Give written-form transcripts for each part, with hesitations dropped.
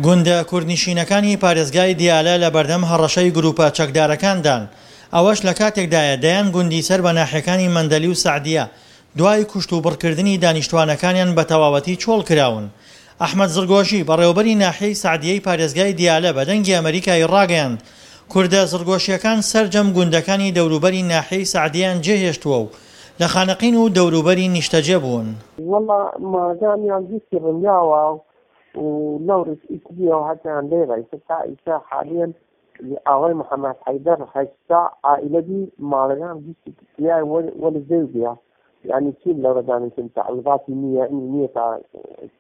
گوندە کوردنشینەکانی پارێزگای دیالە لە بەردەم هەڕەشەی گرووپە چەکدارەکاندان، ئەوەش لە کاتێکدایە دەیان گوندی سەر بە ناحیەکانی مەندەلی و سەعدیە دوای کوشتوبڕکردنی دانیشتوانەکانیان بە تەواوەتی چۆڵ کراون. ئەحمەد زڕگۆشی، بەڕێوەبەری ناحیەی سەعدیەی پارێزگای دیالە بە دەنگی ئەمەریکای ڕاگەیاند، کوردە زڕگۆشییەکان سەرجەم گوندەکانی دەوروبەری ناحیەی سەعدیەیان جێهێشتووە و لە خانەقین و دەوروبەری نیشتەجێ بوون. وەڵا ماڵەکانیان گشتی ڕمیاوە و لەوڕیش ئیتریەوە هەتیان لێرە ئیتر تا ئیسا حالیەن ئاوای محەمەد حەیدەر 80 عائلە بی ماڵەکان گشتی تیای وەل زەوی بیا یعنی چین لەورە دانیشن تعویضاتی نییە نییە تا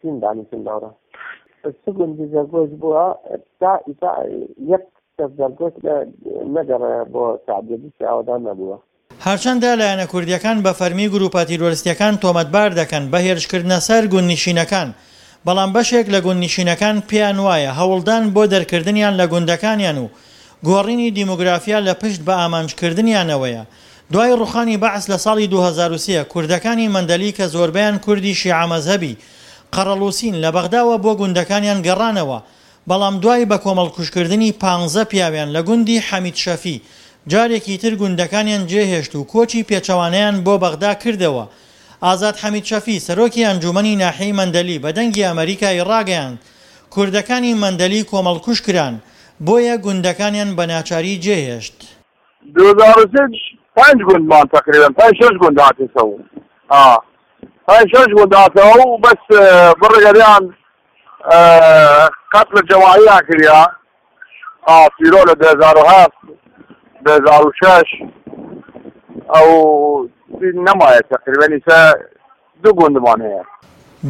چین دانیشن لەورە چ گوندی زەرگۆش بووە تا ئیسا یەک کەس زەرگۆش نەگەڕێ بۆ سەعدیە گشتی ئاوەدان نەبووە. هەرچەندە لایەنە کوردییەکان بە فەرمی گروپە تیرۆرستییەکان تۆمەتبار دەکەن بە هێرشکردنە سەر گوندنشینەکان، بەڵام بەشێک لە گوندنشینەکان پێیان وایە هەوڵدان بۆ دەرکردنیان لە گوندەکانیان و گۆڕینی دیموگرافیا لە پشت بە ئامانجکردنیانەوەیە. دوای ڕوخانی بەعس لە ساڵی 2003 کوردەکانی مەندەلی کە زۆربەیان کوردی شیعە مەزهەبی قەرەڵوسین لە بەغداوە بۆ گوندەکانیان گەڕانەوە بەڵام دوای بە کۆمەڵکوژکردنی پانزە پیاویان لە گوندی حەمید شەفی، جارێکی تر گوندەکانیان جێهێشت و کۆچی پێچەوانەیان بۆ بەغدا کردەوە. ئازاد حەمید شەفی، سەرۆکی ئەنجوومەنی ناحیەی مەندەلی بە دەنگی ئەمەریکای ڕاگەیاند، کوردەکانی مەندەلی کۆمەڵکوژ کران، بۆیە گوندەکانیان بە ناچاری جێهێشت. 2003 پێنج گوندمان تقریبا پێنج شەش گوند هاتێسەوە ئا پێنج شەش گوند هاتەوە و بەس بڕگەریان قەتل جەماعیان کریا ئا تیرۆ لە 2007 2006 ئەو نەمایە تقریبا ئیسا دوو گوندمان هەیە.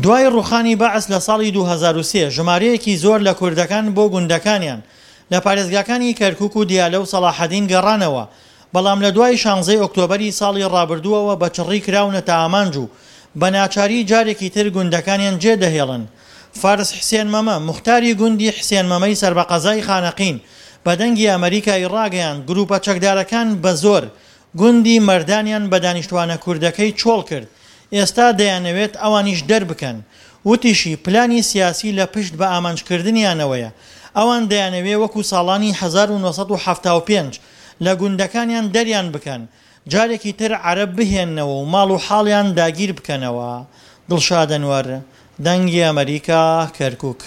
دوای ڕووخانی بەعس لە ساڵی 2003، ژمارەیەکی زۆر لە کوردەکان بۆ گوندەکانیان لە پارێزگاکانی کەرکوک و دیالە و سەڵاحەدین گەڕانەوە، بەڵام لە دوای شانزەی ئۆکتۆبەری ساڵی ڕابردووەوە بە چڕی کراونەتە ئامانج و بە ناچاری جارێکی تر گوندەکانیان جێدەهێڵن. فارس حسێن مەمە، موختاری گوندی حسێن مەمەی سەر بە قەزای خانەقین، بە دەنگی ئەمەریکای ڕاگەیاند، گروپە چەکدارەکان بە زۆر گوندی مەردانیان بە دانیشتوانە کوردەکەی چۆڵ کرد، ئێستا دەیانەوێت ئەوانیش دەربکەن. وتیشی، پلانی سیاسی لە پشت بە ئامانجکردنیانەوەیە، ئەوان دەیانەوێ وەکو ساڵانی 1975 لە گوندەکانیان دەریان بکەن، جارێکی تر عەرەب بهێننەوە و ماڵ و حاڵیان داگیر بکەنەوە. دڵشاد ئەنوەر، دەنگی ئەمەریکا، کەرکوک.